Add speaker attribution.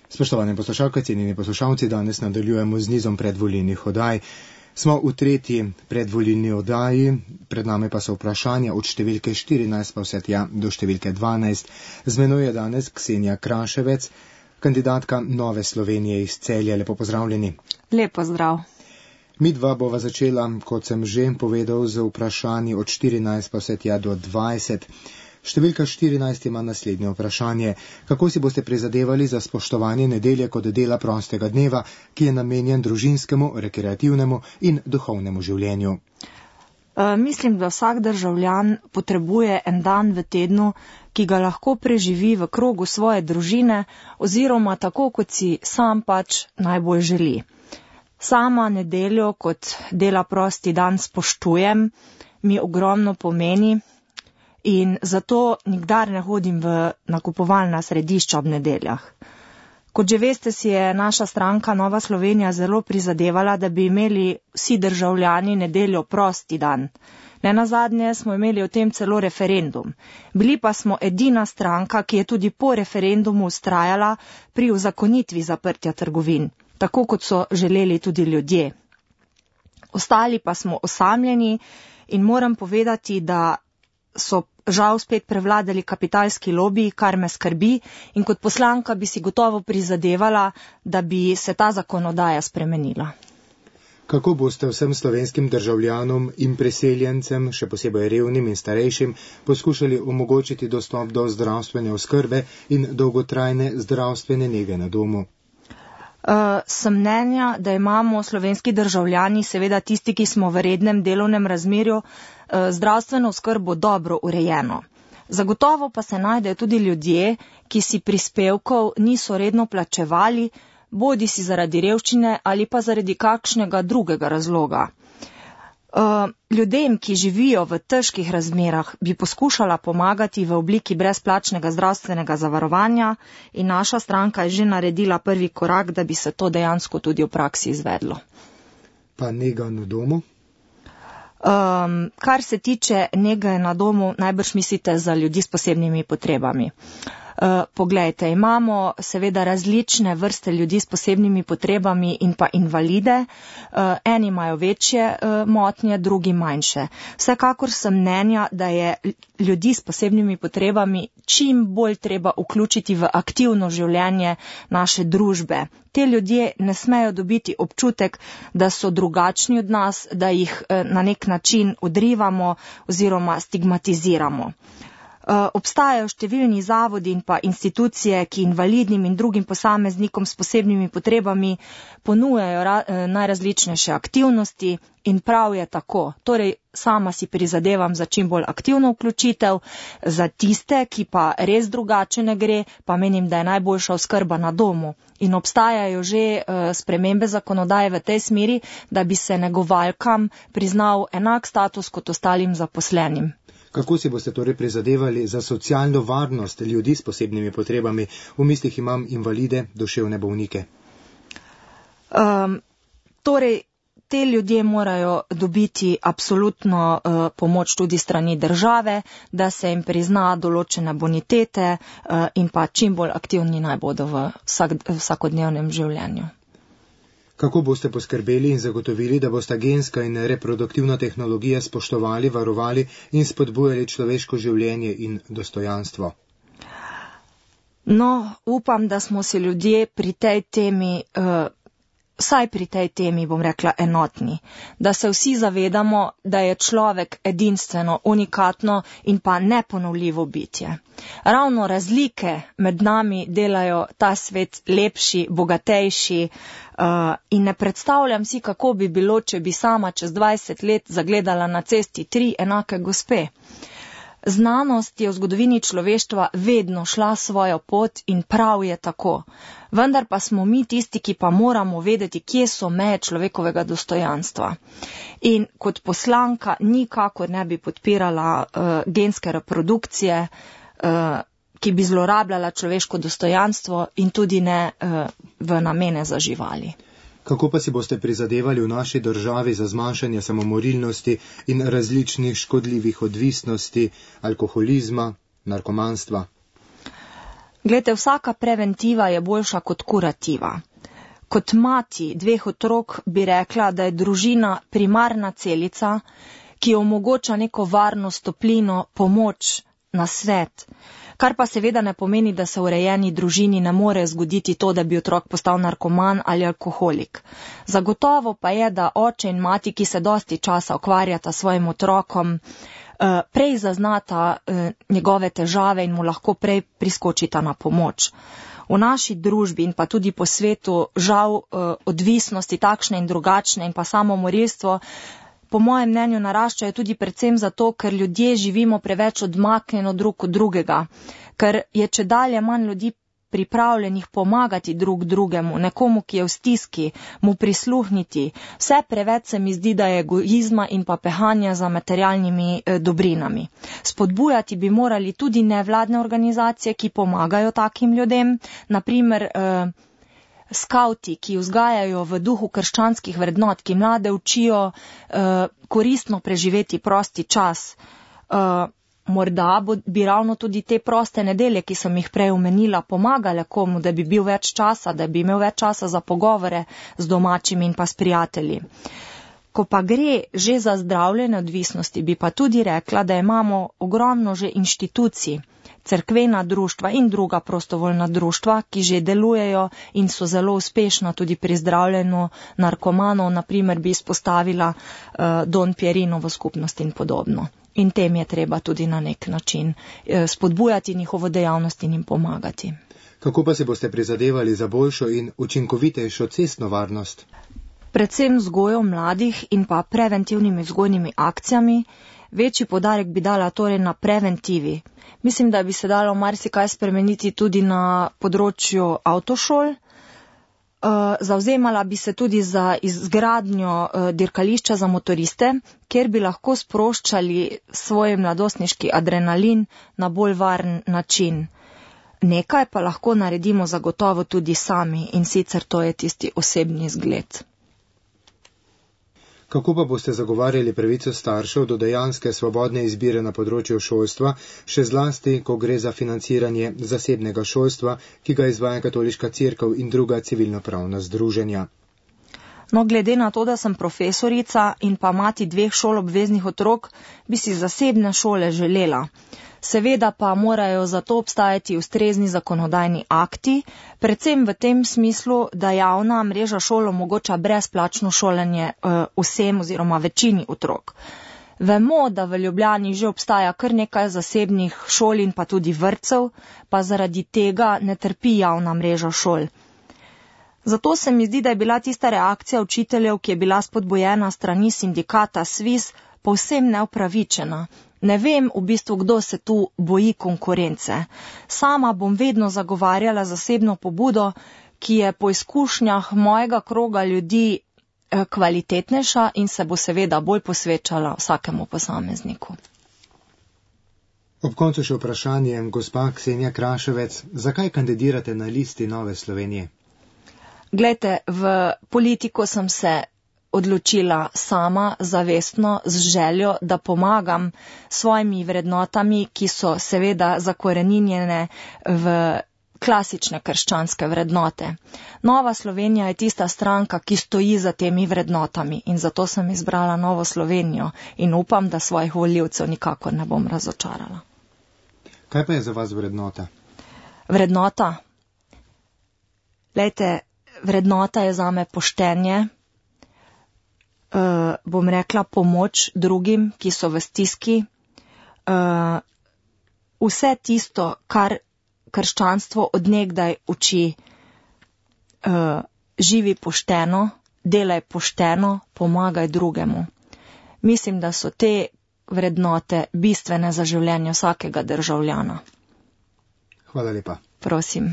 Speaker 1: Spoštovane poslušalke, cenjeni poslušalci, danes nadaljujemo z nizom predvolilnih oddaj. Smo v tretji predvolilni oddaji, pred nami pa so vprašanja od številke 14 pa vse tja do številke 12. Z menoj je danes Ksenija Kraševec, kandidatka Nove Slovenije iz Celja. Lepo pozdravljeni.
Speaker 2: Lepo zdrav.
Speaker 1: Midva bova začela, kot sem že povedal, z vprašanji od 14 pa vse tja do 20. Številka 14 ima naslednje vprašanje. Kako si boste prizadevali za spoštovanje nedelje kot dela prostega dneva, ki je namenjen družinskemu, rekreativnemu in duhovnemu življenju?
Speaker 2: Mislim, da vsak državljan potrebuje en dan v tednu, ki ga lahko preživi v krogu svoje družine oziroma tako, kot si sam pač najbolj želi. Sama nedeljo kot dela prosti dan spoštujem, mi ogromno pomeni. In zato nikdar ne hodim v nakupovalna središča ob nedeljah. Kot že veste, si je naša stranka Nova Slovenija zelo prizadevala, da bi imeli vsi državljani nedeljo prosti dan. Nenazadnje smo imeli o tem celo referendum. Bili pa smo edina stranka, ki je tudi po referendumu vztrajala pri uzakonitvi zaprtja trgovin, tako kot so želeli tudi ljudje. Ostali pa smo osamljeni in moram povedati, da so žal spet prevladali kapitalski lobiji, kar me skrbi, in kot poslanka bi si gotovo prizadevala, da bi se ta zakonodaja spremenila.
Speaker 1: Kako boste vsem slovenskim državljanom in priseljencem, še posebej revnim in starejšim, poskušali omogočiti dostop do zdravstvene oskrbe in dolgotrajne zdravstvene nege na domu?
Speaker 2: Sem mnenja, da imamo slovenski državljani, seveda tisti, ki smo v rednem delovnem razmerju, zdravstveno oskrbo dobro urejeno. Zagotovo pa se najdejo tudi ljudje, ki si prispevkov niso redno plačevali, bodi si zaradi revščine ali pa zaradi kakšnega drugega razloga. Ljudem, ki živijo v težkih razmerah, bi poskušala pomagati v obliki brezplačnega zdravstvenega zavarovanja in naša stranka je že naredila prvi korak, da bi se to dejansko tudi v praksi izvedlo.
Speaker 1: Pa nega na domu?
Speaker 2: Kar se tiče nege na domu, najbrž mislite za ljudi s posebnimi potrebami. Poglejte, imamo seveda različne vrste ljudi s posebnimi potrebami in pa invalide. Eni imajo večje motnje, drugi manjše. Vsekakor sem mnenja, da je ljudi s posebnimi potrebami čim bolj treba vključiti v aktivno življenje naše družbe. Te ljudje ne smejo dobiti občutek, da so drugačni od nas, da jih na nek način odrivamo oziroma stigmatiziramo. Obstajajo številni zavodi in pa institucije, ki invalidnim in drugim posameznikom s posebnimi potrebami ponujajo najrazličnejše aktivnosti in prav je tako. Torej, sama si prizadevam za čim bolj aktivno vključitev, za tiste, ki pa res drugače ne gre, pa menim, da je najboljša oskrba na domu. In obstajajo že spremembe zakonodaje v tej smeri, da bi se negovalkam priznal enak status kot ostalim zaposlenim.
Speaker 1: Kako si boste torej prizadevali za socialno varnost ljudi s posebnimi potrebami? V mislih imam invalide, duševne bolnike.
Speaker 2: Torej, te ljudje morajo dobiti absolutno pomoč tudi strani države, da se jim prizna določene bonitete in pa čim bolj aktivni naj bodo v vsakodnevnem življenju.
Speaker 1: Kako boste poskrbeli in zagotovili, da bosta genska in reproduktivna tehnologija spoštovali, varovali in spodbujali človeško življenje in dostojanstvo?
Speaker 2: No, upam, da smo se ljudje pri tej temi, vsaj pri tej temi, bom rekla, enotni. Da se vsi zavedamo, da je človek edinstveno, unikatno in pa neponovljivo bitje. Ravno razlike med nami delajo ta svet lepši, bogatejši, in ne predstavljam si, kako bi bilo, če bi sama čez 20 let zagledala na cesti 3 enake gospe. Znanost je v zgodovini človeštva vedno šla svojo pot in prav je tako. Vendar pa smo mi tisti, ki pa moramo vedeti, kje so meje človekovega dostojanstva. In kot poslanka nikakor ne bi podpirala genske reprodukcije, ki bi zlorabljala človeško dostojanstvo in tudi ne v namene za živali.
Speaker 1: Kako pa si boste prizadevali v naši državi za zmanjšanje samomorilnosti in različnih škodljivih odvisnosti, alkoholizma, narkomanstva?
Speaker 2: Glejte, vsaka preventiva je boljša kot kurativa. Kot mati 2 otrok bi rekla, da je družina primarna celica, ki omogoča neko varnost, toplino, pomoč, nasvet. Kar pa seveda ne pomeni, da se v urejeni družini ne more zgoditi to, da bi otrok postal narkoman ali alkoholik. Zagotovo pa je, da oče in mati, ki se dosti časa ukvarjata s svojim otrokom, prej zaznata njegove težave in mu lahko prej priskočita na pomoč. V naši družbi in pa tudi po svetu žal odvisnosti takšne in drugačne in pa samomorilstvo po mojem mnenju naraščajo tudi predvsem zato, ker ljudje živimo preveč odmaknjeno drug od drugega, ker je čedalje manj ljudi pripravljenih pomagati drug drugemu, nekomu, ki je v stiski, mu prisluhniti. Vse preveč se mi zdi, da je egoizma in pa pehanja za materialnimi dobrinami. Spodbujati bi morali tudi nevladne organizacije, ki pomagajo takim ljudem, naprimer skavti, ki vzgajajo v duhu krščanskih vrednot, ki mlade učijo koristno preživeti prosti čas. Morda bi ravno tudi te proste nedelje, ki sem jih prej omenila, pomagale komu, da bi bil več časa, da bi imel več časa za pogovore z domačimi in pa s prijatelji. Ko pa gre že za zdravljenje odvisnosti, bi pa tudi rekla, da imamo ogromno že inštitucij, cerkvena društva in druga prostovoljna društva, ki že delujejo in so zelo uspešna tudi pri zdravljenju narkomanov, naprimer bi izpostavila Don Pierinovo skupnost in podobno. In tem je treba tudi na nek način spodbujati njihovo dejavnost in jim pomagati.
Speaker 1: Kako pa se boste prizadevali za boljšo in učinkovitejšo cestno varnost?
Speaker 2: Predvsem vzgojo mladih in pa preventivnimi vzgojnimi akcijami. Večji poudarek bi dala torej na preventivi. Mislim, da bi se dalo marsikaj spremeniti tudi na področju avtošol. Zavzemala bi se tudi za izgradnjo dirkališča za motoriste, kjer bi lahko sproščali svoj mladostniški adrenalin na bolj varen način. Nekaj pa lahko naredimo zagotovo tudi sami in sicer to je tisti osebni zgled.
Speaker 1: Kako pa boste zagovarjali pravico staršev do dejanske svobodne izbire na področju šolstva, še zlasti, ko gre za financiranje zasebnega šolstva, ki ga izvaja Katoliška cerkev in druga civilnopravna združenja?
Speaker 2: No, glede na to, da sem profesorica in pa mati 2 šolobveznih otrok, bi si zasebne šole želela. Seveda pa morajo za to obstajati ustrezni zakonodajni akti, predvsem v tem smislu, da javna mreža šol omogoča brezplačno šolanje vsem oziroma večini otrok. Vemo, da v Ljubljani že obstaja kar nekaj zasebnih šol in pa tudi vrtcev, pa zaradi tega ne trpi javna mreža šol. Zato se mi zdi, da je bila tista reakcija učiteljev, ki je bila spodbujena strani sindikata SVIZ, povsem neupravičena. Ne vem v bistvu, kdo se tu boji konkurence. Sama bom vedno zagovarjala zasebno pobudo, ki je po izkušnjah mojega kroga ljudi kvalitetnejša in se bo seveda bolj posvečala vsakemu posamezniku.
Speaker 1: Ob koncu še vprašanje, gospa Ksenija Kraševec, zakaj kandidirate na listi Nove Slovenije?
Speaker 2: Glejte, v politiko sem se odločila sama, zavestno, z željo, da pomagam svojimi vrednotami, ki so seveda zakoreninjene v klasične krščanske vrednote. Nova Slovenija je tista stranka, ki stoji za temi vrednotami in zato sem izbrala Novo Slovenijo in upam, da svojih volivcev nikakor ne bom razočarala.
Speaker 1: Kaj pa je za vas vrednota?
Speaker 2: Vrednota? Glejte, vrednota je zame poštenje, bom rekla pomoč drugim, ki so v stiski, vse tisto, kar krščanstvo od nekdaj uči, živi pošteno, delaj pošteno, pomagaj drugemu. Mislim, da so te vrednote bistvene za življenje vsakega državljana.
Speaker 1: Hvala lepa.
Speaker 2: Prosim.